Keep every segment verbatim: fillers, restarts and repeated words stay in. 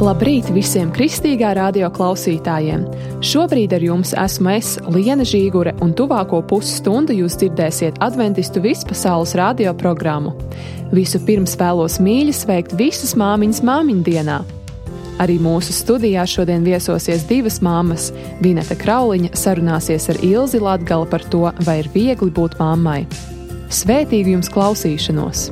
Labrīt visiem kristīgā radio klausītājiem! Šobrīd ar jums esmu es, Liena Žīgure, un tuvāko pusstundu jūs dzirdēsiet adventistu vispasaules radio programmu. Visu pirms vēlos mīļi sveikt visas māmiņas māmiņdienā. Arī mūsu studijā šodien viesosies divas māmas. Vineta Krauliņa sarunāsies ar Ilzi Latgali par to, vai ir viegli būt mammai. Svētīgu jums klausīšanos!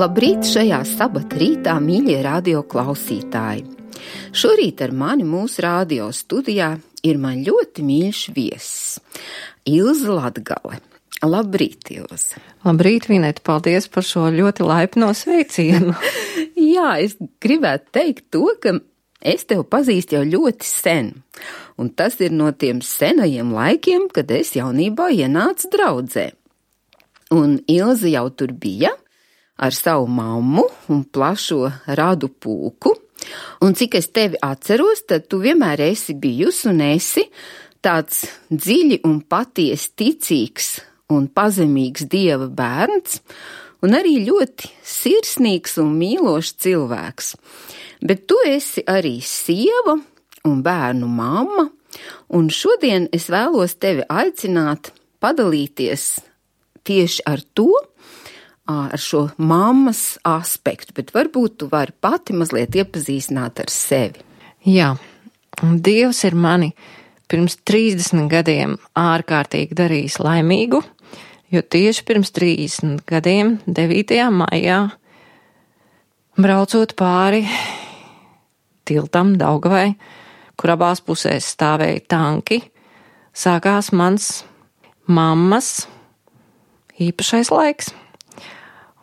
Labrīt šajā sabata rītā, mīļie radio klausītāji! Šorīt ar mani mūsu radio studijā ir man ļoti mīļš viesis – Ilze Latgale. Labrīt, Ilze! Labrīt, Vineta, paldies par šo ļoti laipno sveicienu. Jā, es gribētu teikt to, ka es tevi pazīstu jau ļoti sen. Un tas ir no tiem senajiem laikiem, kad es jaunībā ienācu draudzē. Un Ilze jau tur bija ar savu mammu un plašo radu pulku. Un cik es tevi atceros, tad tu vienmēr esi bijusi un esi tāds dziļi un patiesi ticīgs un pazemīgs Dieva bērns, un arī ļoti sirsnīgs un mīlošs cilvēks. Bet tu esi arī sieva un bērnu mamma, un šodien es vēlos tevi aicināt padalīties tieši ar to, ar šo mammas aspektu, bet varbūt tu vari pati mazliet iepazīstināt ar sevi. Jā, un Dievs ir mani pirms trīsdesmit gadiem ārkārtīgi darījis laimīgu, jo tieši pirms trīsdesmit gadiem, devītajā maijā, braucot pāri tiltam Daugavai, kur abās pusēs stāvēja tanki, sākās mans mammas īpašais laiks.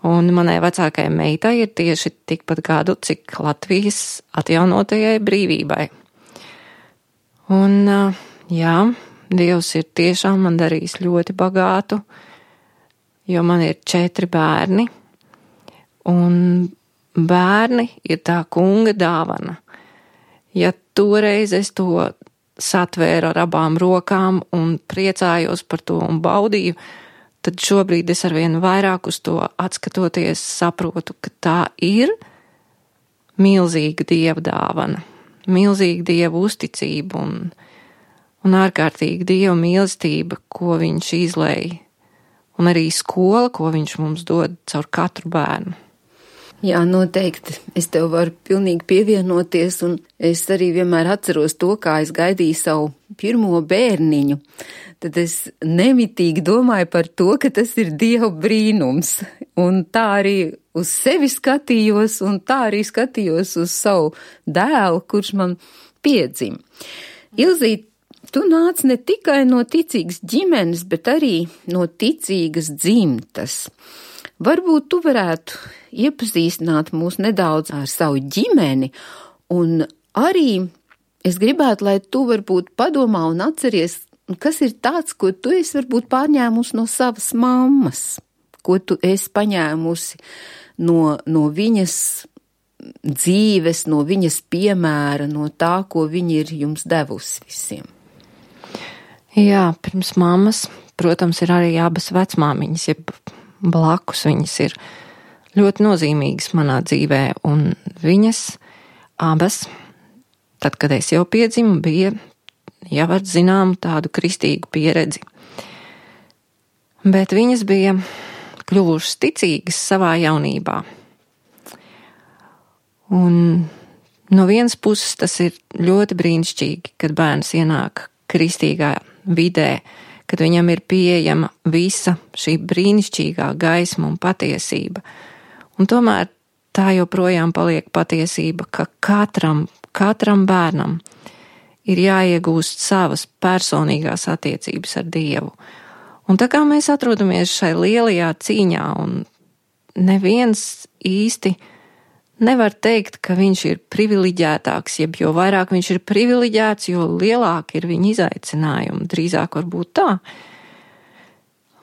Un manai vecākajai meitai ir tieši tikpat gadu, cik Latvijas atjaunotajai brīvībai. Un, jā, Dievs ir tiešām man darījis ļoti bagātu, jo man ir četri bērni, un bērni ir tā kunga dāvana. Ja toreiz es to satvēru ar abām rokām un priecājos par to un baudīju, tad šobrīd es arvien vairāk uz to atskatoties saprotu, ka tā ir milzīga Dieva dāvana, milzīga Dieva uzticība un, un ārkārtīga Dieva mīlestība, ko viņš izlēja, un arī skola, ko viņš mums dod caur katru bērnu. Jā, noteikti. Es tev varu pilnīgi pievienoties, un es arī vienmēr atceros to, kā es gaidīju savu pirmo bērniņu. Tad es nemitīgi domāju par to, ka tas ir Dieva brīnums. Un tā arī uz sevi skatījos, un tā arī skatījos uz savu dēlu, kurš man piedzim. Ilzīt, tu nāc ne tikai no ticīgas ģimenes, bet arī no ticīgas dzimtas. Varbūt tu varētu iepazīstināt mūs nedaudz ar savu ģimeni, un arī es gribētu, lai tu varbūt padomā un atceries, kas ir tāds, ko tu esi varbūt pārņēmusi no savas mammas, ko tu esi paņēmusi no, no viņas dzīves, no viņas piemēra, no tā, ko viņa ir jums devusi visiem. Jā, pirms mammas, protams, ir arī abas vecmāmiņas, jeb blakus viņas ir ļoti nozīmīgas manā dzīvē, un viņas abas, tad, kad es jau piedzimu, bija jau ar zinām tādu kristīgu pieredzi. Bet viņas bija kļuvušas ticīgas savā jaunībā. Un no vienas puses tas ir ļoti brīnišķīgi, kad bērns ienāk kristīgā vidē, kad viņam ir pieejama visa šī brīnišķīgā gaisma un patiesība. Un tomēr tā joprojām paliek patiesība, ka katram, katram bērnam ir jāiegūst savas personīgās attiecības ar Dievu. Un tā kā mēs atrodamies šai lielajā cīņā, un neviens īsti nevar teikt, ka viņš ir privileģētāks, jeb jo vairāk viņš ir privileģēts, jo lielāk ir viņa izaicinājumi, drīzāk varbūt tā.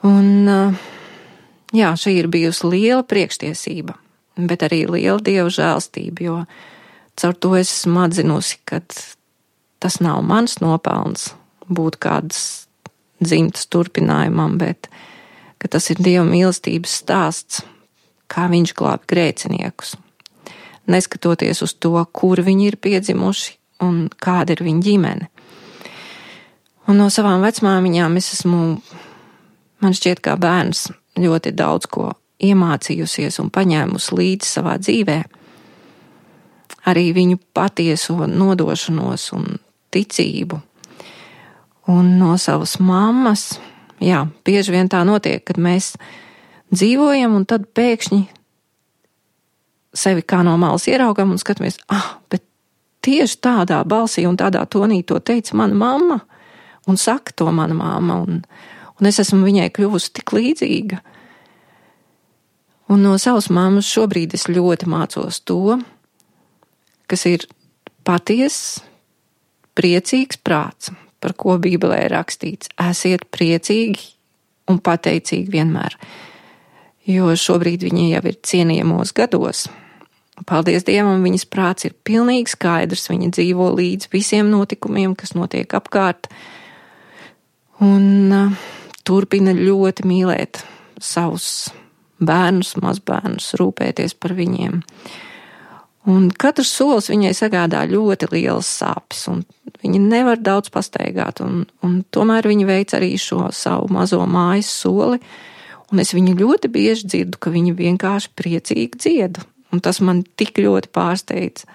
Un, jā, šī ir bijusi liela priekštiesība, bet arī liela Dieva žēlstība, jo caur to es esmu atzinusi, ka tas nav mans nopelns būt kādas dzimtas turpinājumam, bet ka tas ir Dieva mīlestības stāsts, kā viņš glābi grēciniekus. Neskatoties uz to, kur viņi ir piedzimuši un kāda ir viņa ģimene. Un no savām vecmāmiņām es esmu, man šķiet, kā bērns ļoti daudz ko iemācījusies un paņēmusi līdzi savā dzīvē. Arī viņu patieso nodošanos un ticību. Un no savas mammas, jā, bieži vien tā notiek, kad mēs dzīvojam un tad pēkšņi sevi kā no malas ieraugam un skatāmies, ah, bet tieši tādā balsī un tādā tonī to teica mana mamma, un saka to mana mamma, un, un es esmu viņai kļuvusi tik līdzīga. Un no savas mammas šobrīd es ļoti mācos to, kas ir patiess, priecīgs prāts, par ko Bībelē ir rakstīts. Esiet priecīgi un pateicīgi vienmēr. Jo šobrīd viņa jau ir cienījamos gados. Paldies Dievam, viņas prāts ir pilnīgi skaidrs, viņa dzīvo līdz visiem notikumiem, kas notiek apkārt, un uh, turpina ļoti mīlēt savus bērnus, mazbērnus, rūpēties par viņiem. Un katrs solis viņai sagādā ļoti lielas sāpes, un viņa nevar daudz pastaigāt, un, un tomēr viņa veic arī šo savu mazo mājas soli, un es viņu ļoti bieži dzirdu, ka viņa vienkārši priecīgi dzied, un tas man tik ļoti pārsteidz,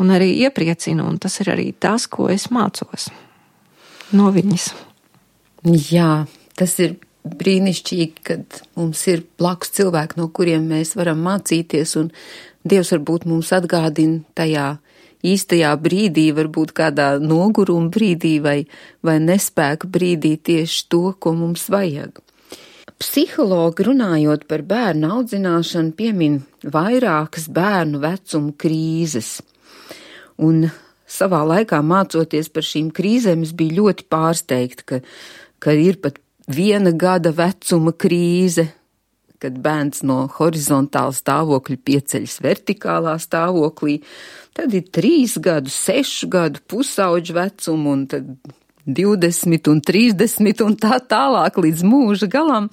un arī iepriecina, un tas ir arī tas, ko es mācos no viņas. Jā, tas ir brīnišķīgi, kad mums ir blakus cilvēki, no kuriem mēs varam mācīties, un Dievs varbūt mums atgādina tajā īstajā brīdī, varbūt kādā noguruma brīdī vai, vai nespēka brīdī tieši to, ko mums vajag. Psihologi runājot par bērnu audzināšanu piemin vairākas bērnu vecuma krīzes, un savā laikā mācoties par šīm krīzēm es biju ļoti pārsteigta, ka, ka ir pat viena gada vecuma krīze, kad bērns no horizontāla stāvokļa pieceļas vertikālā stāvoklī, tad ir trīs gadu, sešu gadu pusauģu vecumu, un tad divdesmit un trīsdesmit un tā tālāk līdz mūža galam.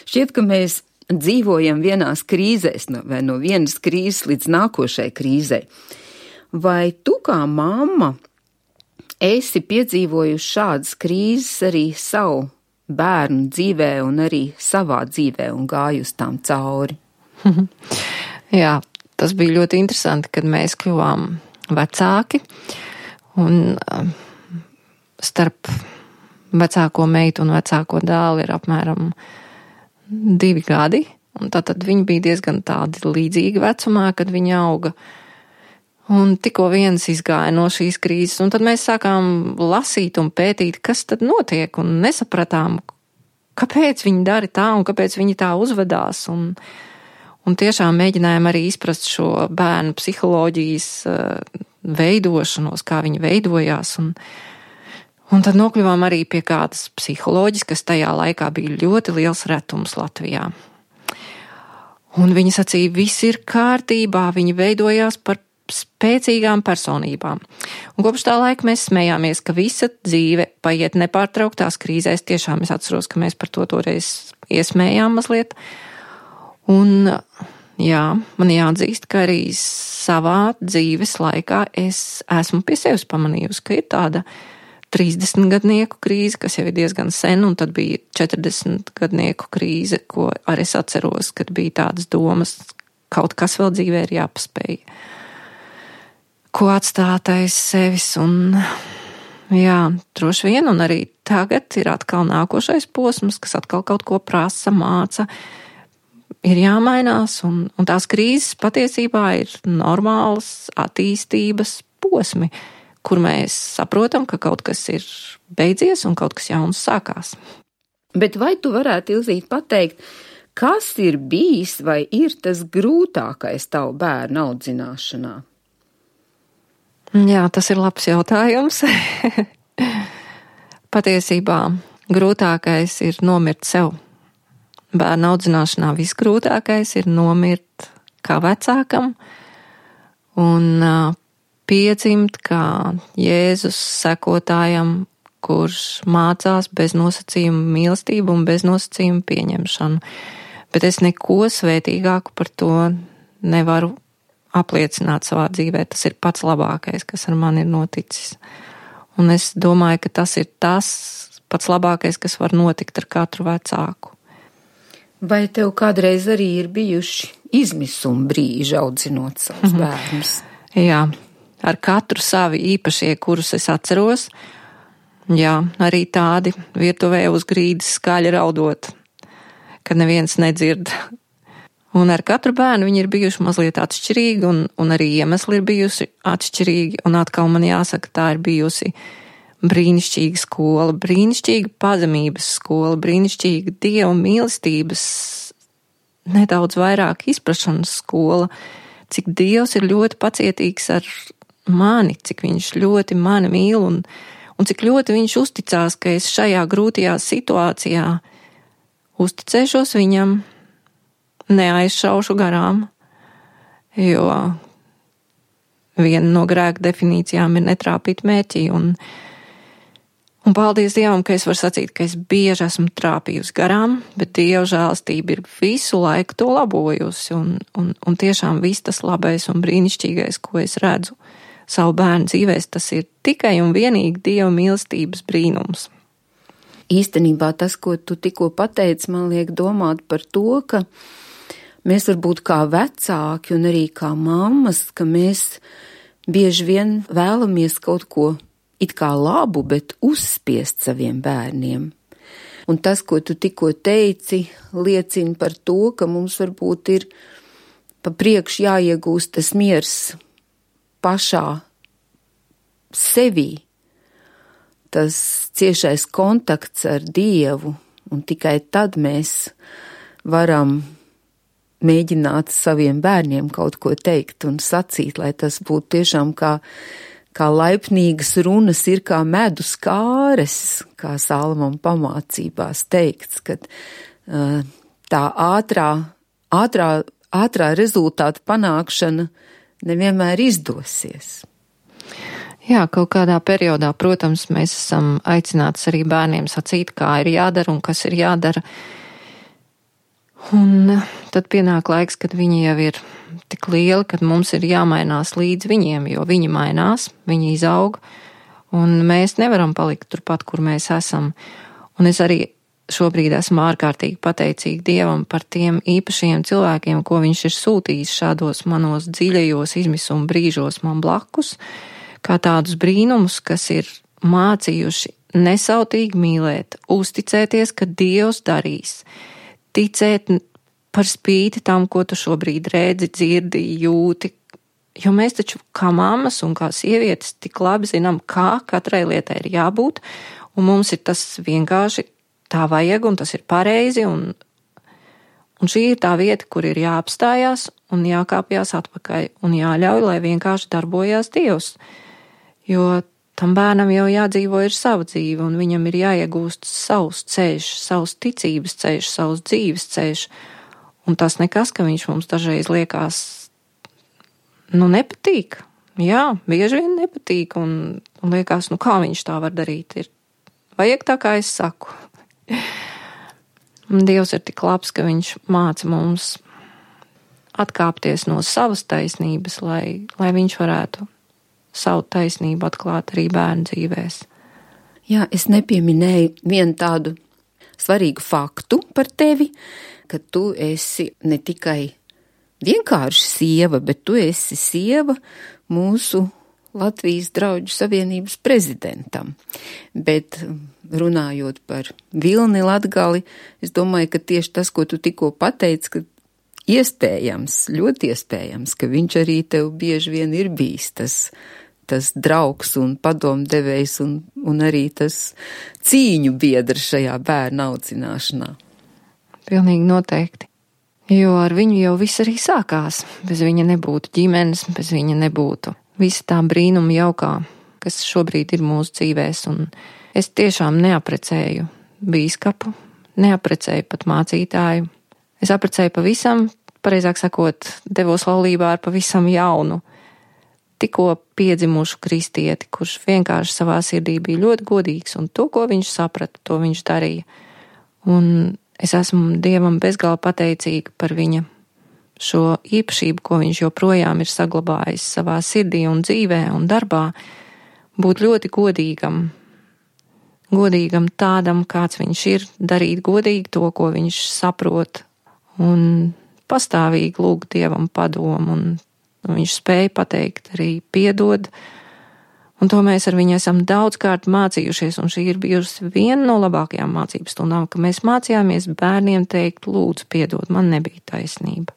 Šķiet, ka mēs dzīvojam vienās krīzēs, vai no vienas krīzes līdz nākošai krīzei. Vai tu kā mamma esi piedzīvojusi šādas krīzes arī savu bērnu dzīvē un arī savā dzīvē un gājusi tām cauri? Jā, tas bija ļoti interesanti, kad mēs kļuvām vecāki, un starp vecāko meitu un vecāko dēlu ir apmēram divi gadi, un tātad viņi bija diezgan tādi līdzīgi vecumā, kad viņi auga. Un tikko viens izgāja no šīs krīzes, un tad mēs sākām lasīt un pētīt, kas tad notiek, un nesapratām, kāpēc viņi dara tā un kāpēc viņi tā uzvedās. Un, un tiešām mēģinājām arī izprast šo bērnu psiholoģijas veidošanos, kā viņi veidojās. Un, un tad nokļuvām arī pie kādas psiholoģijas, kas tajā laikā bija ļoti liels retums Latvijā. Un viņi sacīja, viss ir kārtībā, viņi veidojās par spēcīgām personībām. Un kopš tā laika mēs smējāmies, ka visa dzīve paiet nepārtrauktās krīzēs. Tiešām es atceros, ka mēs par to toreiz iesmējām mazliet. Un jā, man jāatzīst, ka arī savā dzīves laikā es esmu pie sevis pamanījusi, ka ir tāda trīsdesmitgadnieku krīze, kas jau ir diezgan sen, un tad bija četrdesmitgadnieku krīze, ko arī es atceros, kad bija tādas domas, kaut kas vēl dzīvē ir jāpaspēj. Ko atstāt aiz sevis, un jā, droši vien, un arī tagad ir atkal nākošais posms, kas atkal kaut ko prasa, māca, ir jāmainās, un, un tās krīzes patiesībā ir normāls attīstības posmi, kur mēs saprotam, ka kaut kas ir beidzies un kaut kas jauns sākās. Bet vai tu varētu, Ilzīte, pateikt, kas ir bijis vai ir tas grūtākais tavu bērnu audzināšanā? Jā, tas ir labs jautājums. Patiesībā grūtākais ir nomirt sev. Bērnu audzināšanā visgrūtākais ir nomirt kā vecākam un piedzimt kā Jēzus sekotājam, kurš mācās bez nosacījuma mīlestību un bez nosacījuma pieņemšanu. Bet es neko svētīgāku par to nevaru apliecināt savā dzīvē. Tas ir pats labākais, kas ar mani ir noticis. Un es domāju, ka tas ir tas pats labākais, kas var notikt ar katru vecāku. Vai tev kādreiz arī ir bijuši izmisuma brīži audzinot savus mm-hmm. bērnus? Jā, ar katru savi īpašie, kurus es atceros. Jā, arī tādi virtuvē uz grīdas skaļi raudot, kad neviens nedzird. Un ar katru bērnu viņi ir bijuši mazliet atšķirīgi, un, un arī iemesli ir bijusi atšķirīgi, un atkal man jāsaka, tā ir bijusi brīnišķīga skola, brīnišķīga pazemības skola, brīnišķīga Dieva mīlestības, nedaudz vairāk izprašanas skola, cik Dievs ir ļoti pacietīgs ar mani, cik viņš ļoti mani mīl, un, un cik ļoti viņš uzticās, ka es šajā grūtajā situācijā uzticēšos viņam, neaizšaušu garām, jo viena no grēka definīcijām ir netrāpīt mērķī, un, un paldies Dievam, ka es varu sacīt, ka es bieži esmu trāpījusi garām, bet Dieva žēlastība ir visu laiku to labojusi, un, un, un tiešām viss tas labais un brīnišķīgais, ko es redzu savu bērnu dzīvēs, tas ir tikai un vienīgi Dieva mīlestības brīnums. Īstenībā tas, ko tu tikko pateici, man liek domāt par to, ka mēs varbūt kā vecāki un arī kā mammas, ka mēs bieži vien vēlamies kaut ko it kā labu, bet uzspiest saviem bērniem. Un tas, ko tu tikko teici, liecina par to, ka mums varbūt ir pa priekš jāiegūst tas miers pašā sevī, tas ciešais kontakts ar Dievu, un tikai tad mēs varam mēģināt saviem bērniem kaut ko teikt un sacīt, lai tas būtu tiešām kā, kā laipnīgas runas ir kā medus kāres, kā Salomona pamācībās teikts, kad uh, tā ātrā, ātrā, ātrā rezultāta panākšana nevienmēr izdosies. Jā, kaut kādā periodā, protams, mēs esam aicināts arī bērniem sacīt, kā ir jādara un kas ir jādara. Un tad pienāk laiks, kad viņi jau ir tik lieli, kad mums ir jāmainās līdz viņiem, jo viņi mainās, viņi izaug, un mēs nevaram palikt turpat, kur mēs esam. Un es arī šobrīd esmu ārkārtīgi pateicīga Dievam par tiem īpašiem cilvēkiem, ko viņš ir sūtījis šādos manos dziļajos izmisuma brīžos man blakus, kā tādus brīnumus, kas ir mācījuši nesautīgi mīlēt, uzticēties, ka Dievs darīs, ticēt par spīti tam, ko tu šobrīd redzi, dzirdi, jūti, jo mēs taču kā mammas un kā sievietes tik labi zinām, kā katrai lietai ir jābūt, un mums ir tas vienkārši tā vajag, un tas ir pareizi, un, un šī ir tā vieta, kur ir jāapstājās un jākāpjās atpakaļ, un jāļauj, lai vienkārši darbojās Dievs. Jo tam bērnam jau jādzīvo ir sava dzīve, un viņam ir jāiegūst savs ceļš, savs ticības ceļš, savs dzīves ceļš, un tas nekas, ka viņš mums dažreiz liekas, nu, nepatīk. Jā, bieži vien nepatīk, un, un liekas, nu, kā viņš tā var darīt, ir vajag tā, kā es saku. Dievs ir tik labs, ka viņš māca mums atkāpties no savas taisnības, lai, lai viņš varētu savu taisnību atklāt arī bērnu dzīvēs. Jā, es nepieminēju vienu tādu svarīgu faktu par tevi, ka tu esi ne tikai vienkārši sieva, bet tu esi sieva mūsu Latvijas Drauģu savienības prezidentam, bet runājot par Vilni Latgali, es domāju, ka tieši tas, ko tu tikko pateici, ka iespējams, ļoti iespējams, ka viņš arī tev bieži vien ir bijis tas, tas draugs un padomdevējs un, un arī tas cīņu biedrs šajā bērna audzināšanā. Pilnīgi noteikti. Jo ar viņu jau viss arī sākās. Bez viņa nebūtu ģimenes, bez viņa nebūtu visa tā brīnuma jaukā, kas šobrīd ir mūsu dzīvēs, un es tiešām neaprecēju bīskapu, neaprecēju pat mācītāju. Es aprecēju pavisam, pareizāk sakot, devos laulībā ar pavisam jaunu, tikko piedzimušu kristieti, kurš vienkārši savā sirdī bija ļoti godīgs, un to, ko viņš saprata, to viņš darīja. Un es esmu Dievam bezgalīgi pateicīga par viņa šo īpašību, ko viņš joprojām ir saglabājis savā sirdī un dzīvē un darbā, būt ļoti godīgam, godīgam tādam, kāds viņš ir, darīt godīgi to, ko viņš saprot, un pastāvīgi lūgt Dievam padomu, un viņš spēja pateikt arī piedod, un to mēs ar viņu esam daudzkārt mācījušies, un šī ir bijusi viena no labākajām mācības stundām, ka mēs mācījāmies bērniem teikt, lūdzu piedod, man nebija taisnība.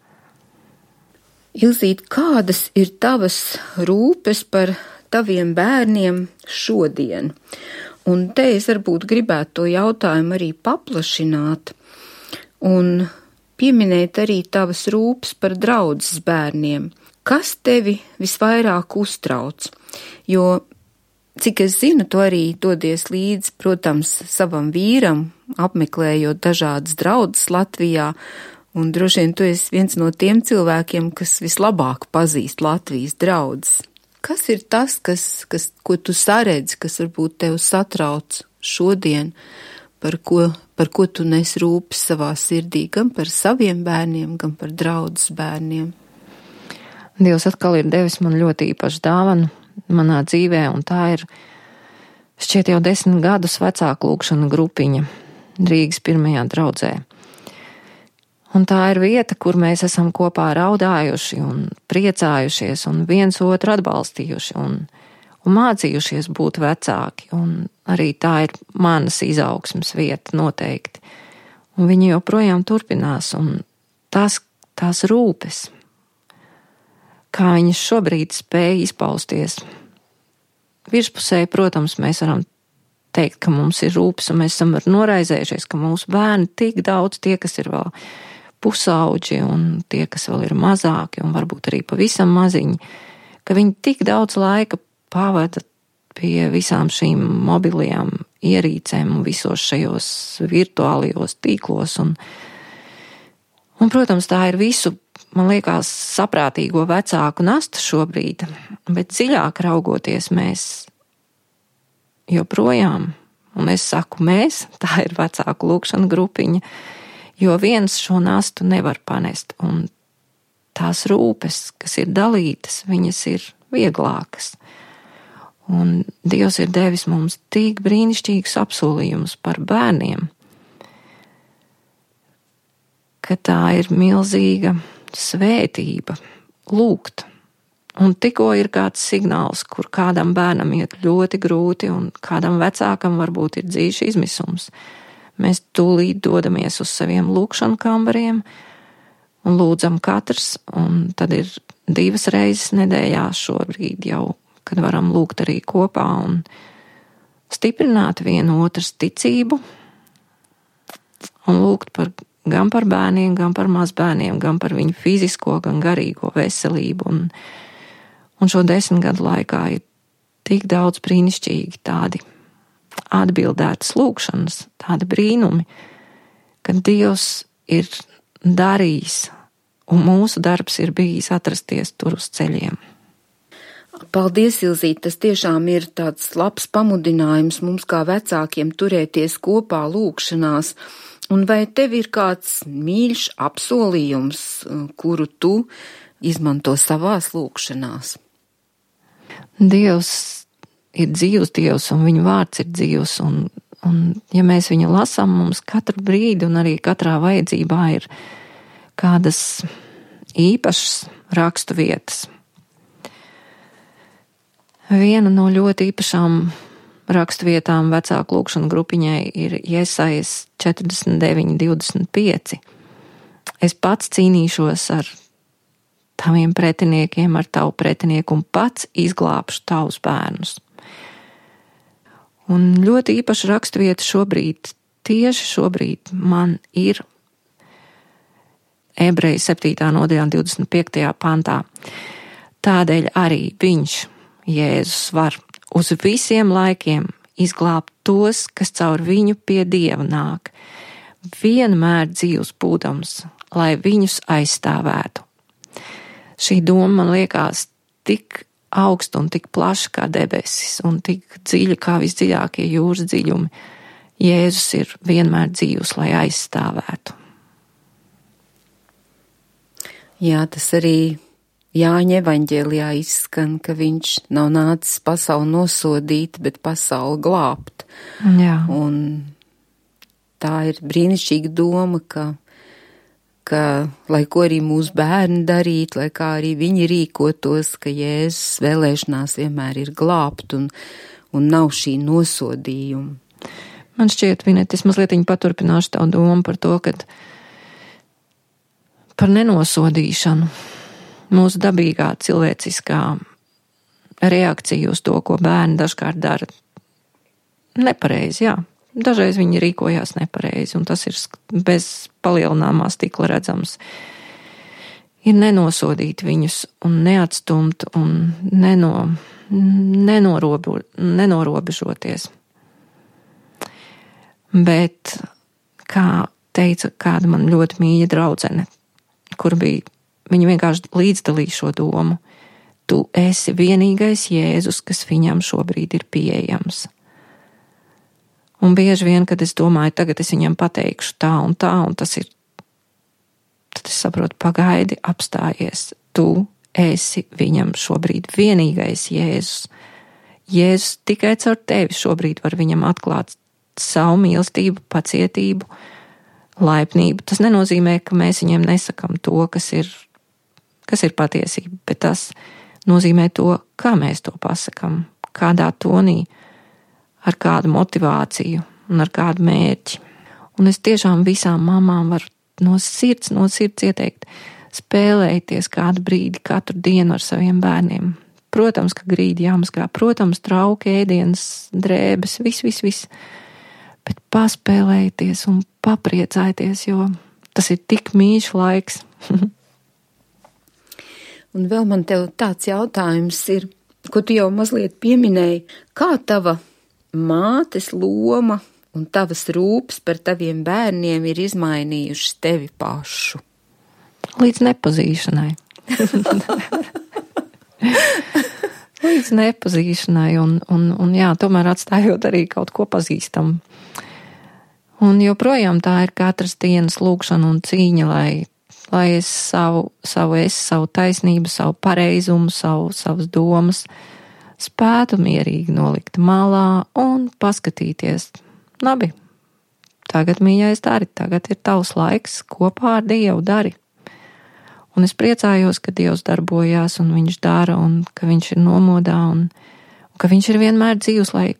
Ilzīt, kādas ir tavas rūpes par taviem bērniem šodien? Un te es varbūt gribētu to jautājumu arī paplašināt un pieminēt arī tavas rūpes par draudzes bērniem. Kas tevi visvairāk uztrauc? Jo, cik es zinu, tu arī dodies līdzi, protams, savam vīram, apmeklējot dažādas draudzes Latvijā, un droši vien tu esi viens no tiem cilvēkiem, kas vislabāk pazīst Latvijas draudzes. Kas ir tas, kas, kas, ko tu saredzi, kas varbūt tev satrauc šodien, par ko, par ko tu nes rūpes savā sirdī, gan par saviem bērniem, gan par draudzes bērniem? Dievs atkal ir devis man ļoti īpašu dāvanu manā dzīvē, un tā ir šķiet jau desmit gadus vecāku lūgšana grupiņa Rīgas pirmajā draudzē. Un tā ir vieta, kur mēs esam kopā raudājuši un priecājušies un viens otru atbalstījuši un, un mācījušies būt vecāki. Un arī tā ir manas izaugsmes vieta noteikti. Un viņi joprojām turpinās, un tās, tās rūpes, kā viņas šobrīd spēj izpausties. Virspusēji, protams, mēs varam teikt, ka mums ir rūpes, un mēs esam noraizējušies, ka mūsu bērni tik daudz, tie, kas ir vēl pusauģi un tie, kas vēl ir mazāki un varbūt arī pavisam maziņi, ka viņi tik daudz laika pavada pie visām šīm mobilajām ierīcēm un visos šajos virtuālajos tīklos. Un, un, protams, tā ir visu, man liekas, saprātīgo vecāku nasta šobrīd, bet dziļāk raugoties mēs joprojām, un es saku mēs, tā ir vecāku lūgšana grupiņa, jo viens šo nastu nevar panest, un tās rūpes, kas ir dalītas, viņas ir vieglākas. Un Dievs ir devis mums tik brīnišķīgus apsolījumus par bērniem, ka tā ir milzīga svētība lūgt. Un tikko ir kāds signāls, kur kādam bērnam iet ļoti grūti un kādam vecākam varbūt ir dzīves izmisums, mēs tūlīt dodamies uz saviem lūkšanu kambariem un lūdzam katrs, un tad ir divas reizes nedēļā šobrīd jau, kad varam lūgt arī kopā un stiprināt vienu otras ticību un lūgt par, gan par bērniem, gan par mazbērniem, gan par viņu fizisko, gan garīgo veselību. Un, un šo desmit gadu laikā ir tik daudz brīnišķīgi tādi atbildētas lūkšanas, tādi brīnumi, ka Dievs ir darījis, un mūsu darbs ir bijis atrasties tur uz ceļiem. Paldies, Ilzīt, tas tiešām ir tāds labs pamudinājums mums kā vecākiem turēties kopā lūkšanās. Un vai tev ir kāds mīļš apsolījums, kuru tu izmanto savās lūkšanās? Dievs ir dzīvs Dievs, un viņa vārds ir dzīvs, un, un ja mēs viņu lasām, mums katru brīdi un arī katrā vajadzībā ir kādas īpašas rakstu vietas. Viena no ļoti īpašām rakstvietām vecāku lūkšanu grupiņai ir Jesajas četrdesmit deviņi divdesmit pieci. Es pats cīnīšos ar taviem pretiniekiem, ar tavu pretinieku un pats izglābšu tavus bērnus. Un ļoti īpaša rakstvieta šobrīd, tieši šobrīd man ir Ebreju septītā nodaļā divdesmit piektajā pantā. Tādēļ arī viņš, Jēzus, var uz visiem laikiem izglābt tos, kas caur viņu pie Dieva nāk, vienmēr dzīvs būdams, lai viņus aizstāvētu. Šī doma man liekas tik augsta un tik plaša kā debesis un tik dziļa kā visdziļākie jūras dziļumi. Jēzus ir vienmēr dzīvs, lai aizstāvētu. Jā, tas arī Jāņa evaņģēlijā izskan, ka viņš nav nācis pasauli nosodīt, bet pasauli glābt. Jā. Un tā ir brīnišķīga doma, ka, ka lai ko arī mūsu bērni darītu, lai kā arī viņi rīkotos, ka Jēzus vēlēšanās vienmēr ir glābt un, un nav šī nosodījuma. Man šķiet, Vinet, es mazliet paturpināšu tavu domu par to, ka par nenosodīšanu. Mūsu dabīgā cilvēciskā reakcija uz to, ko bērni dažkārt dara nepareizi, jā. Dažreiz viņi rīkojās nepareizi, un tas ir bez palielināmā stikla redzams. Ir nenosodīt viņus un neatstumt un neno, nenorobu, nenorobežoties. Bet, kā teica kāda man ļoti mīļa draudzene, kur bija viņa vienkārši līdzdalīja šo domu. Tu esi vienīgais Jēzus, kas viņam šobrīd ir pieejams. Un bieži vien, kad es domāju, tagad es viņam pateikšu tā un tā, un tas ir, tad es saprotu, pagaidi, apstājies. Tu esi viņam šobrīd vienīgais Jēzus. Jēzus tikai caur tevi šobrīd var viņam atklāt savu mīlestību, pacietību, laipnību. Tas nenozīmē, ka mēs viņiem nesakam to, kas ir kas ir patiesība, bet tas nozīmē to, kā mēs to pasakam, kādā tonī, ar kādu motivāciju un ar kādu mērķi. Un es tiešām visām mamām varu no sirds, no sirds ieteikt, spēlējieties kādu brīdi katru dienu ar saviem bērniem. Protams, ka grīdi jāmazgā, protams, trauki, ēdienas, drēbes, viss, viss, viss. Bet paspēlējieties un papriecājieties, jo tas ir tik mīļš laiks. Un vēl man tev tāds jautājums ir, ko tu jau mazliet pieminēji, kā tava mātes loma un tavas rūpes par taviem bērniem ir izmainījušas tevi pašu? Līdz nepazīšanai. Līdz nepazīšanai un, un, un jā, tomēr atstājot arī kaut ko pazīstam. Un joprojām tā ir katras dienas lūkšana un cīņa, lai lai es savu, savu es, savu taisnību, savu pareizumu, savu, savas domas spētu mierīgi nolikt malā un paskatīties. Labi, tagad, mīļais, dari, tagad ir tavs laiks, kopā ar Dievu dari. Un es priecājos, ka Dievs darbojās un viņš dara un ka viņš ir nomodā un, un ka viņš ir vienmēr dzīvs, lai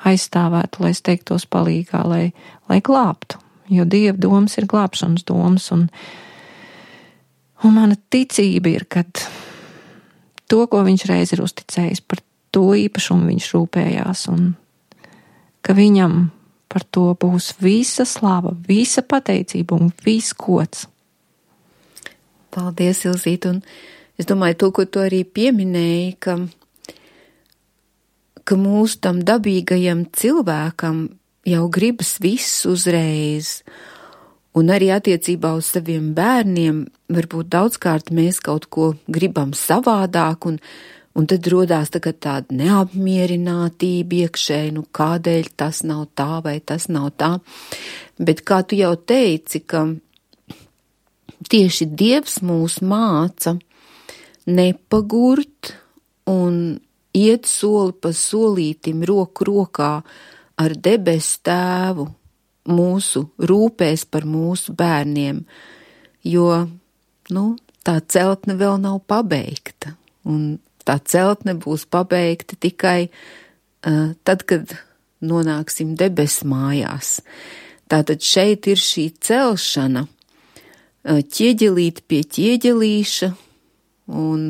aizstāvētu, lai steigtos palīgā, lai, lai glābtu. Jo Dieva domas ir glābšanas domas, un, un mana ticība ir, kad to, ko viņš reiz ir uzticējis, par to īpašumu viņš rūpējās, un ka viņam par to būs visa slava, visa pateicība un viss gods. Paldies, Ilzīt, un es domāju, to, ko tu arī pieminēji, ka, ka mūsu tam dabīgajam cilvēkam jau gribas viss uzreiz, un arī attiecībā uz saviem bērniem varbūt daudzkārt mēs kaut ko gribam savādāk, un, un tad rodās tagad tāda neapmierinātība iekšēji, nu kādēļ tas nav tā vai tas nav tā, bet kā tu jau teici, ka tieši Dievs mūs māca nepagurt un iet soli pa solītim roku rokā ar debesu Tēvu mūsu rūpēs par mūsu bērniem, jo, nu, tā celtne vēl nav pabeigta, un tā celtne būs pabeigta tikai uh, tad, kad nonāksim debesu mājās. Tātad šeit ir šī celšana, uh, ķieģelīt pie ķieģelīša, un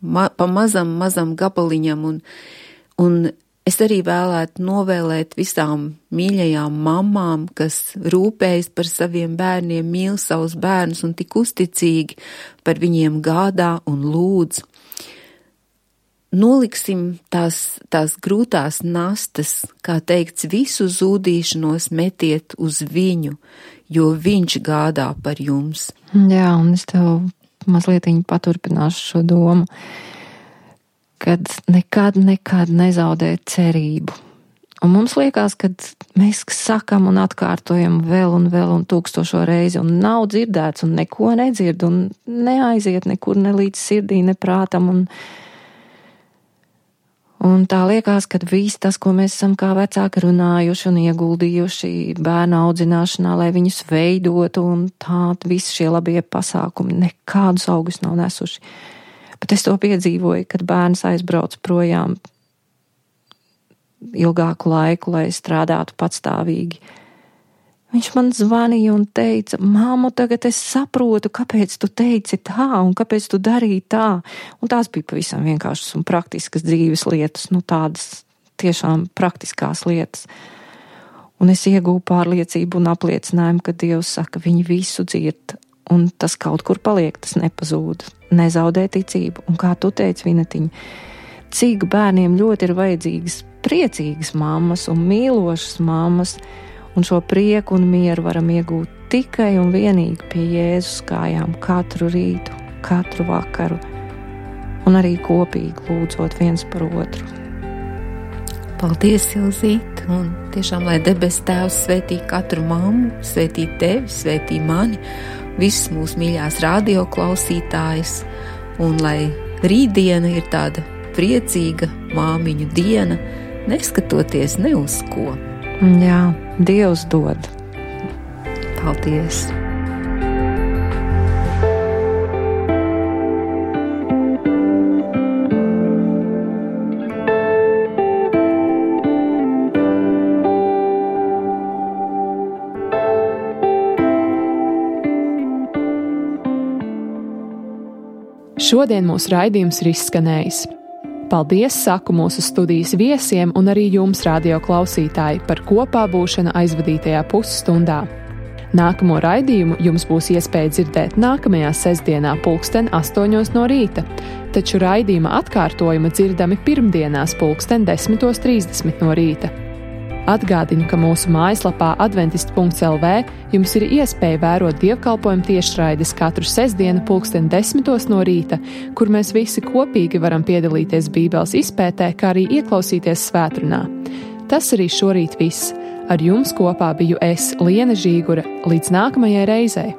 ma pa mazam, mazam gabaliņam, un, un es arī vēlētu novēlēt visām mīļajām mamām, kas rūpējas par saviem bērniem, mīl savus bērnus un tik uzticīgi par viņiem gādā un lūdz. Noliksim tās, tās grūtās nastas, kā teikts, visu zūdīšanos metiet uz viņu, jo viņš gādā par jums. Jā, un es tev mazlietiņ paturpināšu šo domu, kad nekad, nekad nezaudēt cerību. Un mums liekas, ka mēs sakam un atkārtojam vēl un vēl un tūkstošo reizi, un nav dzirdēts, un neko nedzird, un neaiziet nekur ne līdz sirdī, ne prātam, un, un tā liekas, ka viss tas, ko mēs esam kā vecāki runājuši un ieguldījuši bērnu audzināšanā, lai viņus veidotu, un tā visi šie labie pasākumi nekādus augus nav nesuši. Bet es to piedzīvoju, kad bērns aizbrauc projām ilgāku laiku, lai strādātu patstāvīgi. Viņš man zvanīja un teica, māmu, tagad es saprotu, kāpēc tu teici tā un kāpēc tu darīji tā. Un tās bija pavisam vienkāršas un praktiskas dzīves lietas, nu tādas tiešām praktiskās lietas. Un es iegūju pārliecību un apliecinājumu, ka Dievs saka, viņi visu dzird. Un tas kaut kur paliek, tas nepazūd, nezaudē ticību. Un kā tu teici, Vinetiņa, cik bērniem ļoti ir vajadzīgas priecīgas mammas un mīlošas mammas, un šo prieku un mieru varam iegūt tikai un vienīgi pie Jēzus kājām katru rītu, katru vakaru, un arī kopīgi lūdzot viens par otru. Paldies, Ilzīt, un tiešām, lai debes Tēvs svētī katru mammu, svētī tevi, svētī mani, visus mūsu mīļās radio klausītājus, un lai rītdiena ir tāda priecīga māmiņu diena, neskatoties ne uz ko. Jā, Dievs dod. Paldies! Šodien mūsu raidījums ir izskanējis. Paldies saku mūsu studijas viesiem un arī jums, radio klausītāji, par kopā būšanu aizvadītajā pusstundā. Nākamo raidījumu jums būs iespēja dzirdēt nākamajā sestdienā pulksten astoņos no rīta, taču raidījuma atkārtojuma dzirdami pirmdienās pulksten desmitos trīsdesmit no rīta. Atgādinu, ka mūsu mājaslapā adventists punkts el vē jums ir iespēja vērot dievkalpojumu tiešraides katru sestdienu pulksten desmitos no rīta, kur mēs visi kopīgi varam piedalīties Bībeles izpētē, kā arī ieklausīties svētrunā. Tas arī šorīt viss. Ar jums kopā biju es, Liene Žīgure. Līdz nākamajai reizei!